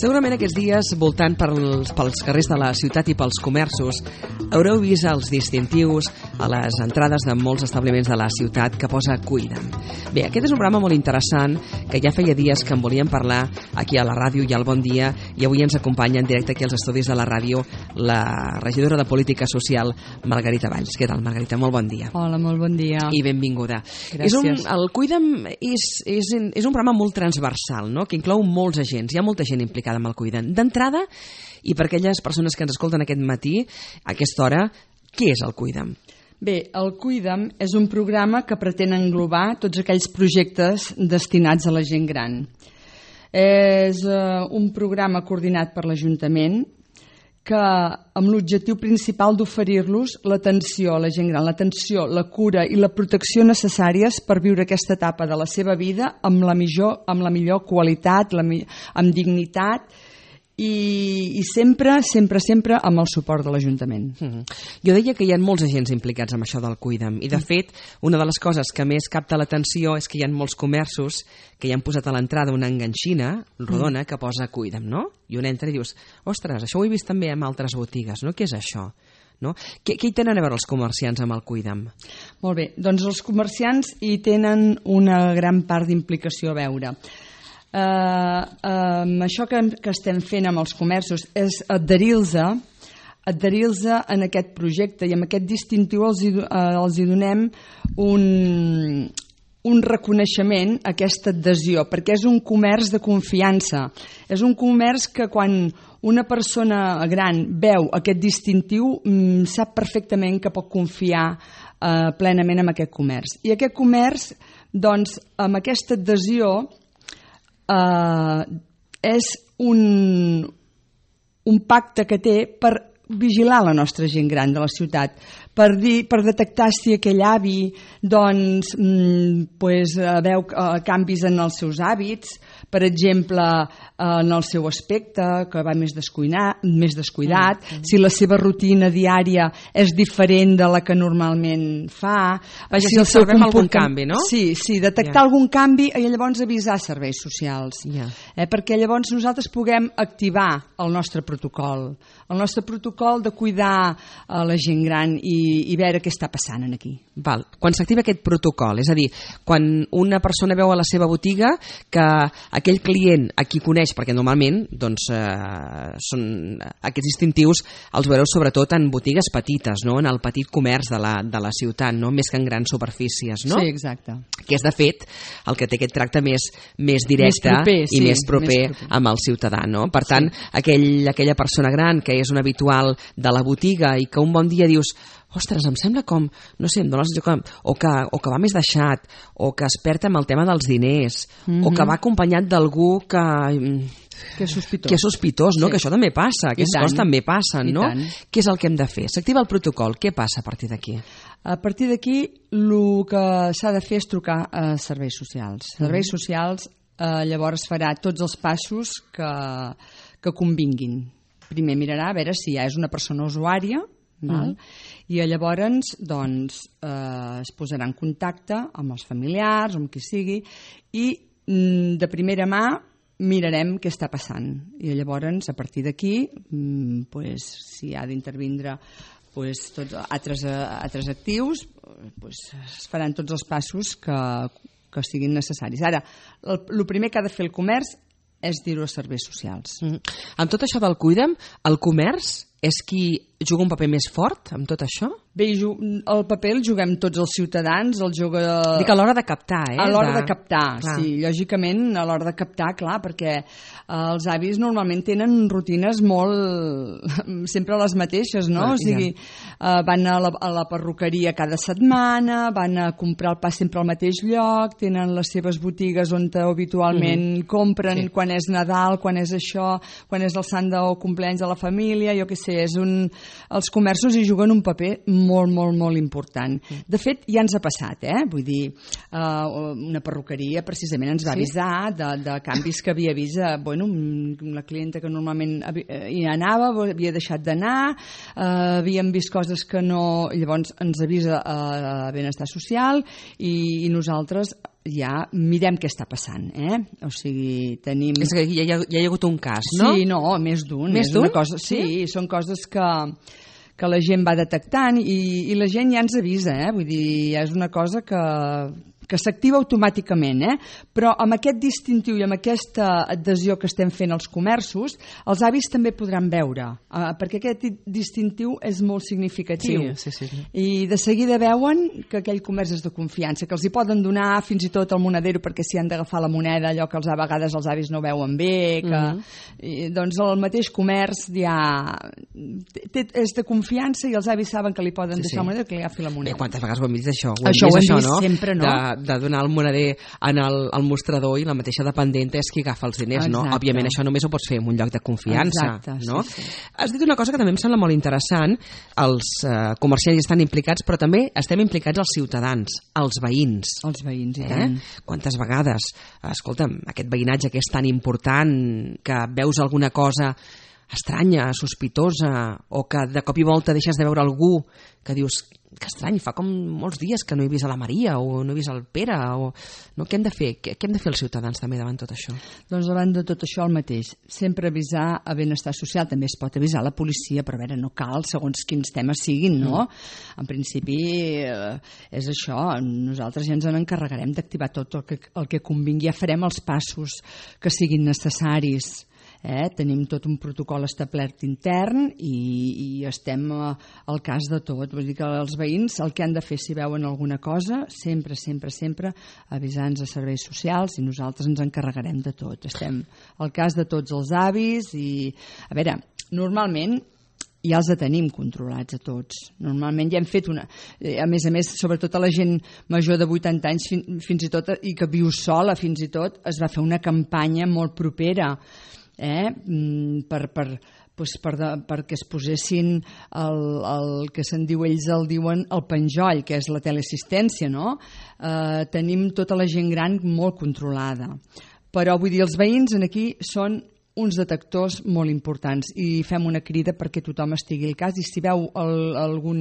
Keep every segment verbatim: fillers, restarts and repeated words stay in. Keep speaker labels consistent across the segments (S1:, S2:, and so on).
S1: Segurament aquests dies, voltant pels, pels carrers de la ciutat i pels comerços, haureu vist els distintius a les entrades de molts establiments de la ciutat que posa Cuida'm. Bé, aquest és un programa molt interessant que ja feia dies que en volíem parlar aquí a la ràdio i al Bon Dia, i avui ens acompanya en directe aquí als estudis de la ràdio la regidora de Política Social, Margarita Valls. Què tal, Margarita? Molt bon dia.
S2: Hola, molt bon dia.
S1: I benvinguda.
S2: Gràcies.
S1: És un, el Cuida'm és, és, és un programa molt transversal, no?, que inclou molts agents. Hi ha molta gent implicada amb el Cuida'm. D'entrada, i per aquelles persones que ens escolten aquest matí, a aquesta hora, què és el Cuida'm?
S2: Bé, el Cuida'm és un programa que pretén englobar tots aquells projectes destinats a la gent gran. És uh, un programa coordinat per l'Ajuntament que amb l'objectiu principal d'oferir-los l'atenció a la gent gran, l'atenció, la cura i la protecció necessàries per viure aquesta etapa de la seva vida amb la millor, amb la millor qualitat, la, amb dignitat i, i sempre, sempre, sempre amb el suport de l'Ajuntament.
S1: Mm-hmm. Jo deia que hi ha molts agents implicats en això del Cuida'm i, de fet, una de les coses que més capta l'atenció és que hi ha molts comerços que hi han posat a l'entrada una enganxina rodona que posa Cuida'm, no? I un entra i dius, ostres, això ho he vist també en altres botigues, no? Què és això? No? Què, què hi tenen a veure els comerciants amb el Cuida'm?
S2: Molt bé, doncs els comerciants hi tenen una gran part d'implicació a veure. Uh, uh, això que, que estem fent amb els comerços és adherir-se adherir-se en aquest projecte, i amb aquest distintiu els hi, uh, els hi donem un, un reconeixement a aquesta adhesió, perquè és un comerç de confiança, és un comerç que quan una persona gran veu aquest distintiu um, sap perfectament que pot confiar uh, plenament en aquest comerç, i aquest comerç, doncs, amb aquesta adhesió Uh, és un, un pacte que té per vigilar la nostra gent gran de la ciutat, per, dir, per detectar si aquell avi doncs, mm, pues, veu uh, canvis en els seus hàbits, per exemple, uh, en el seu aspecte, que va més, més descuidat, mm. si la seva rutina diària és diferent de la que normalment fa.
S1: Vaja, si, si observem algun canvi, no?
S2: Sí, sí, detectar yeah. algun canvi i llavors avisar serveis socials.
S1: Yeah.
S2: Eh, perquè llavors nosaltres puguem activar el nostre protocol, el nostre protocol de cuidar a la gent gran i, i veure què està passant aquí.
S1: Val. Quan s'activa aquest protocol, és a dir, quan una persona veu a la seva botiga que aquell client a qui coneix, perquè normalment doncs, eh, són aquests distintius els veureu sobretot en botigues petites, no? En el petit comerç de la, de la ciutat, no? Més que en grans superfícies, no?
S2: Sí, exacte.
S1: Que és, de fet, el que té aquest tracte més, més directe
S2: més proper,
S1: i
S2: sí,
S1: més, proper
S2: més proper
S1: amb el ciutadà, no? Per tant, sí. aquell, aquella persona gran que és un habitual de la botiga i que un bon dia dius, ostres, em sembla com, no sé, em dóna la sensació que, o, que, o que va més deixat, o que es perd amb el tema dels diners, mm-hmm. o que va acompanyat d'algú que...
S2: Que és sospitós.
S1: Que és sospitós, no?
S2: Sí.
S1: Que això també passa, aquestes coses també passen,
S2: I
S1: no?
S2: tant.
S1: Què és el que hem de fer? S'activa el protocol, què passa a partir d'aquí?
S2: A partir d'aquí, el que s'ha de fer és trucar a serveis socials. Serveis mm-hmm. socials eh, llavors farà tots els passos que, que convinguin. Primer mirarà a veure si ja és una persona usuària, val? Mm. I llavors doncs, eh, es posarà en contacte amb els familiars, amb qui sigui, i mm, de primera mà mirarem què està passant. I llavors, a partir d'aquí, mm, pues, si ha d'intervindre pues, tots altres, altres actius, pues, es faran tots els passos que, que siguin necessaris. Ara, el, el primer que ha de fer el comerç és dir-ho a serveis socials.
S1: Mm. Amb tot això del Cuida'm, el comerç és qui juga un paper més fort amb tot això?
S2: Bé, el paper el juguem tots els ciutadans, el juga...
S1: Dic a l'hora de captar, eh?
S2: A l'hora de, de captar,
S1: clar. Sí,
S2: lògicament, a l'hora de captar, clar, perquè els avis normalment tenen rutines molt... sempre les mateixes, no?
S1: Clar,
S2: o sigui, ja. van a la, a la perruqueria cada setmana, van a comprar el pa sempre al mateix lloc, tenen les seves botigues on habitualment mm-hmm. compren sí. quan és Nadal, quan és això, quan és el sant o cumpleaños de la família, jo què sé, és un... els comerços hi juguen un paper molt, molt, molt important. De fet, ja ens ha passat, eh? Vull dir, uh, una perruqueria precisament ens va avisar de, de canvis que havia vist. Uh, bueno, la clienta que normalment hi anava havia deixat d'anar, uh, havíem vist coses que no... Llavors ens avisa a uh, Benestar Social i, i nosaltres ja mirem què està passant, eh? O sigui, tenim...
S1: És que ja hi ha, ja hi ha hagut un cas, no?
S2: Sí, no, més d'un.
S1: Més d'un?
S2: Cosa... Sí, sí, són coses que, que la gent va detectant i, i la gent ja ens avisa, eh? Vull dir, ja és una cosa que... que s'activa automàticament, eh? Però amb aquest distintiu i amb aquesta adhesió que estem fent als comerços, els avis també podran veure, eh? Perquè aquest distintiu és molt significatiu.
S1: Sí, sí, sí.
S2: I de seguida veuen que aquell comerç és de confiança, que els hi poden donar fins i tot el monedero perquè s'hi han d'agafar la moneda, allò que els, a vegades els avis no veuen bé, que, mm-hmm. i, doncs el mateix comerç ja té, és de confiança i els avis saben que li poden sí, deixar sí. la moneda que li agafi la moneda.
S1: Bé, quantes vegades ho hem vist això? Ho hem
S2: això
S1: vist,
S2: ho hem
S1: això,
S2: vist
S1: no?
S2: sempre, no?
S1: De, de donar el moneder en el, el mostrador i la mateixa dependenta és qui agafa els diners,
S2: Exacte.
S1: no? Òbviament això només ho pots fer en un lloc de confiança.
S2: Exacte,
S1: no?
S2: sí, sí.
S1: Has dit una cosa que també em sembla molt interessant, els eh, comerciants estan implicats, però també estem implicats els ciutadans, els veïns.
S2: Els veïns, i
S1: eh?
S2: tant.
S1: Quantes vegades, escolta'm, aquest veïnatge que és tan important, que veus alguna cosa estranya, sospitosa, o que de cop i volta deixes de veure algú que dius, que estrany, fa com molts dies que no he vist a la Maria o no he vist el Pere, o... no, què hem de fer? Què, què hem de fer els ciutadans també davant tot això?
S2: Doncs davant de tot això el mateix, sempre avisar a benestar social, també es pot avisar la policia, però a veure, no cal segons quins temes siguin, no? Mm. En principi eh, és això, nosaltres ja ens en encarregarem d'activar tot el que, el que convingui, ja farem els passos que siguin necessaris. Eh? Tenim tot un protocol establert intern i, i estem eh, al cas de tot. Vull dir que els veïns el que han de fer si veuen alguna cosa, sempre, sempre, sempre avisar-nos a serveis socials i nosaltres ens encarregarem de tot. Estem al cas de tots els avis i, a veure, normalment ja els tenim controlats a tots. Normalment ja hem fet una... A més a més, sobretot a la gent major de vuitanta anys fins i tot, i que viu sola fins i tot, es va fer una campanya molt propera eh? per, per, doncs per de, perquè es posessin el, el que se'n diu, ells el diuen el penjoll, que és la teleassistència, no? Eh, tenim tota la gent gran molt controlada. Però vull dir, els veïns aquí són uns detectors molt importants i fem una crida perquè tothom estigui al cas i si veu el, algun,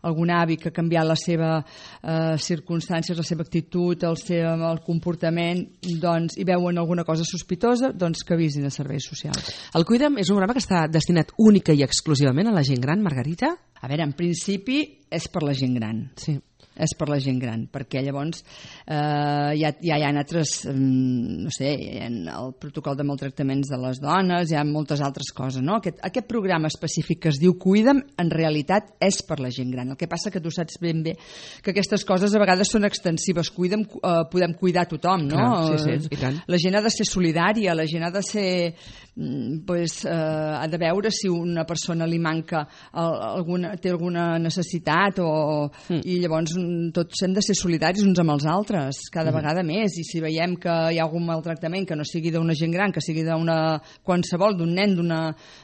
S2: algun avi que ha canviat la seva eh, circumstàncies, la seva actitud, el seu el comportament, doncs, i veuen alguna cosa sospitosa, doncs que avisin a serveis socials.
S1: El Cuida'm és un programa que està destinat única i exclusivament a la gent gran, Margarita?
S2: A veure, en principi és per la gent gran.
S1: Sí.
S2: És per la gent gran, perquè llavors eh, ja, ja hi ha altres, no sé, en el protocol de maltractaments de les dones, hi ha moltes altres coses, no? Aquest, aquest programa específic que es diu Cuida'm, en realitat és per la gent gran. El que passa que tu saps ben bé que aquestes coses a vegades són extensives. Cuida'm, eh, podem cuidar tothom, no?
S1: Clar, sí, sí, i tant.
S2: La gent ha de ser solidària, la gent ha de ser... Pues, eh, ha de veure si una persona li manca alguna, té alguna necessitat o, mm. i llavors tots hem de ser solidaris uns amb els altres cada mm. vegada més, i si veiem que hi ha algun maltractament que no sigui d'una gent gran, que sigui d'una qualsevol, d'un nen, d'una,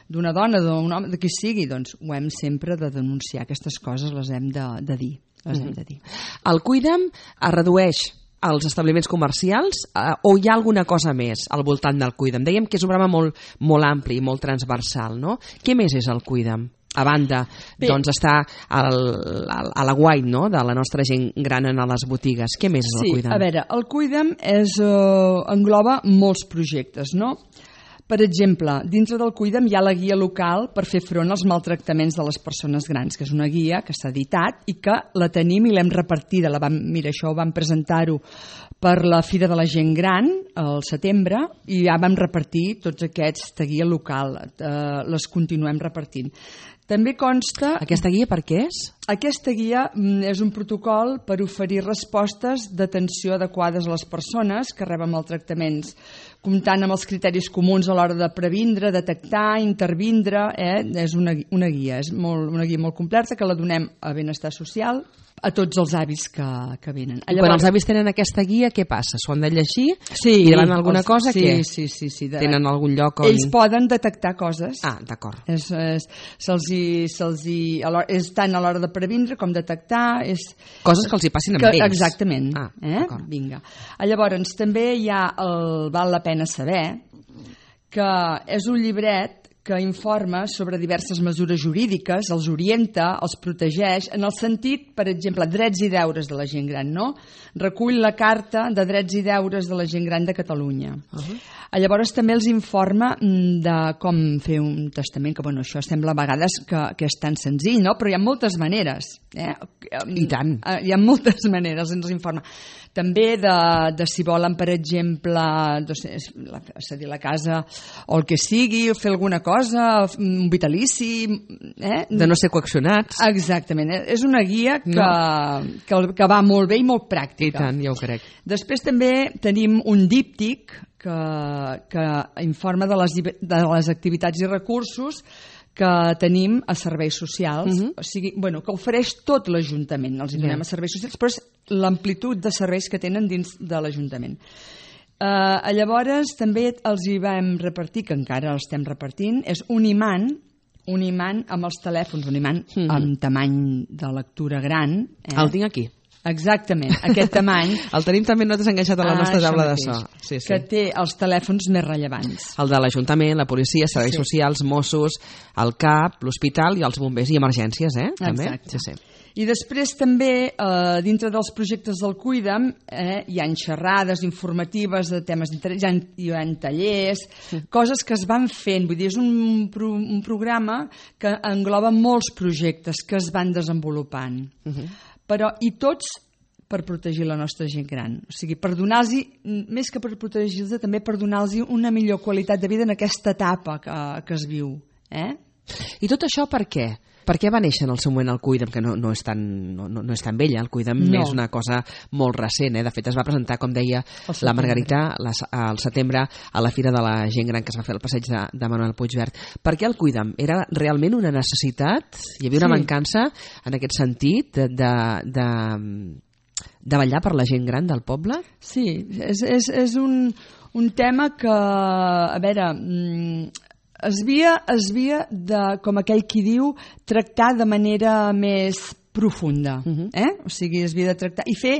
S2: d'una dona, d'un home, de qui sigui, doncs ho hem sempre de denunciar. Aquestes coses les hem de, de dir, les mm. hem de dir.
S1: El Cuida'm es redueix als establiments comercials eh, o hi ha alguna cosa més al voltant del Cuida'm? Dèiem que és un programa molt, molt ampli i molt transversal, no? Què més és el Cuida'm? A banda, Bé. doncs, està al, al, a la guai, no?, de la nostra gent gran a les botigues. Què més és
S2: sí,
S1: el Cuida'm?
S2: Sí, a veure, el Cuida'm és, uh, engloba molts projectes, no? Per exemple, dintre del Cuida'm hi ha la guia local per fer front als maltractaments de les persones grans, que és una guia que s'ha editat i que la tenim i l'hem repartida. La vam, mira, això ho vam presentar-ho per la Fira de la Gent Gran al setembre i ja vam repartir tots aquesta guia local. Eh, les continuem repartint. També consta...
S1: Aquesta guia per què és?
S2: Aquesta guia és un protocol per oferir respostes d'atenció adequades a les persones que reben maltractaments, comptant amb els criteris comuns a l'hora de previndre, detectar, intervindre. Eh? És una, una guia, és molt, una guia molt completa que la donem a Benestar Social a tots els avis que, que venen.
S1: Llavors, quan els avis tenen aquesta guia, què passa? S'ho han de llegir?
S2: Sí,
S1: i davant alguna
S2: els,
S1: cosa?
S2: Sí,
S1: què?
S2: sí, sí, sí. De...
S1: Tenen algun lloc on...
S2: Ells poden detectar coses.
S1: Ah, d'acord.
S2: És, és, se'ls hi, se'ls hi, és tant a l'hora de previndre com detectar. És...
S1: Coses que els hi passin amb
S2: que,
S1: ells.
S2: Exactament.
S1: Ah,
S2: eh? Vinga. Llavors, també hi ha el Val la pena saber, que és un llibret que informa sobre diverses mesures jurídiques, els orienta, els protegeix, en el sentit, per exemple, drets i deures de la gent gran, no? Recull la Carta de Drets i Deures de la Gent Gran de Catalunya. Uh-huh. Llavors també els informa de com fer un testament, que bueno, això sembla a vegades que, que és tan senzill, no? Però hi ha moltes maneres. Eh?
S1: I tant.
S2: Hi ha moltes maneres, ens informa. També de, de si volen, per exemple, doncs, la, cedir la casa o el que sigui, fer alguna cosa, un vitalici... Eh?
S1: De no ser coaccionats.
S2: Exactament. És una guia que, no. que, que va molt bé i molt pràctica.
S1: I tant, ja ho crec.
S2: Després també tenim un díptic que, que informa de les, de les activitats i recursos que tenim a serveis socials, uh-huh. o sigui, bueno, que ofereix tot l'Ajuntament. Els donem yeah. a serveis socials, però és l'amplitud de serveis que tenen dins de l'Ajuntament. Uh, llavors, també els hi vam repartir, que encara els estem repartint, és un imant, un imant amb els telèfons, un imant uh-huh. amb tamany de lectura gran. Eh?
S1: El tinc aquí.
S2: Exactament, aquest tamany.
S1: El tenim també nosaltres enganxat a la nostra ah, taula de so. Sí, sí.
S2: Que té els telèfons més rellevants.
S1: El de l'Ajuntament, la policia, serveis sí. socials, Mossos, el C A P, l'hospital i els bombers i emergències, eh? També?
S2: Exacte.
S1: Sí, sí.
S2: I després també, eh, dintre dels projectes del Cuida'm, eh, hi ha xerrades informatives de temes d'interès, hi, ha, hi ha tallers, sí. coses que es van fent. Vull dir, és un, pro, un programa que engloba molts projectes que es van desenvolupant. Uh-huh. Però, i tots per protegir la nostra gent gran. O sigui, per donar-los, més que per protegir-los, també per donar-los una millor qualitat de vida en aquesta etapa que, que es viu. Eh?
S1: I tot això per què? Per què va néixer en el seu moment el Cuida'm, que no, no, és tan, no, no és tan vella? El Cuida'm no. és una cosa molt recent. Eh? De fet, es va presentar, com deia la Margarita, les, al setembre a la Fira de la Gent Gran que es va fer al passeig de, de Manuel Puigvert. Per què el Cuida'm? Era realment una necessitat? Hi havia una sí. mancança en aquest sentit de, de, de, de vetllar per la gent gran del poble?
S2: Sí, és, és, és un, un tema que, a veure... Es havia, es havia de, com aquell qui diu, tractar de manera més profunda. Uh-huh. eh? O sigui, es havia de tractar i fer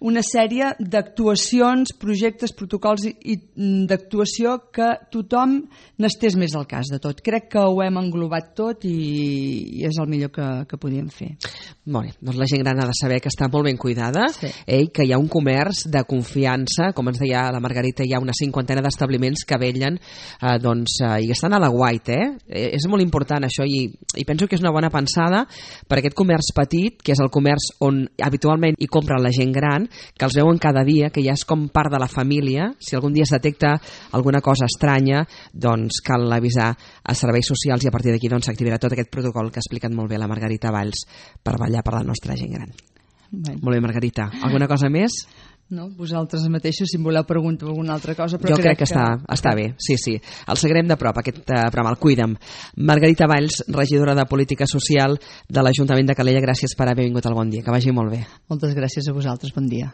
S2: una sèrie d'actuacions, projectes, protocols i, i d'actuació que tothom n'estés més al cas de tot. Crec que ho hem englobat tot i, i és el millor que, que podíem fer.
S1: Molt bé, doncs la gent gran ha de saber que està molt ben cuidada,
S2: sí.
S1: eh, que hi ha un comerç de confiança, com ens deia la Margarita, hi ha una cinquantena d'establiments que vellen eh, doncs, eh, i estan a la guaita. Eh? Eh, és molt important això i, i penso que és una bona pensada per aquest comerç petit, que és el comerç on habitualment hi compra la gent gran, que els veuen cada dia, que ja és com part de la família. Si algun dia es detecta alguna cosa estranya, doncs cal avisar a serveis socials i a partir d'aquí doncs, s'activarà tot aquest protocol que ha explicat molt bé la Margarita Valls per vetllar per la nostra gent gran.
S2: Bé.
S1: Molt bé, Margarita. Alguna cosa més?
S2: No, vosaltres mateixos, si em voleu preguntar alguna altra cosa, però
S1: jo crec,
S2: crec
S1: que, que està, està bé, sí, sí. El seguirem de prop, aquest uh, programa, el Cuida'm. Margarita Valls, regidora de Política Social de l'Ajuntament de Calella, gràcies per haver vingut al Bon Dia, que vagi molt bé.
S2: Moltes gràcies a vosaltres, bon dia.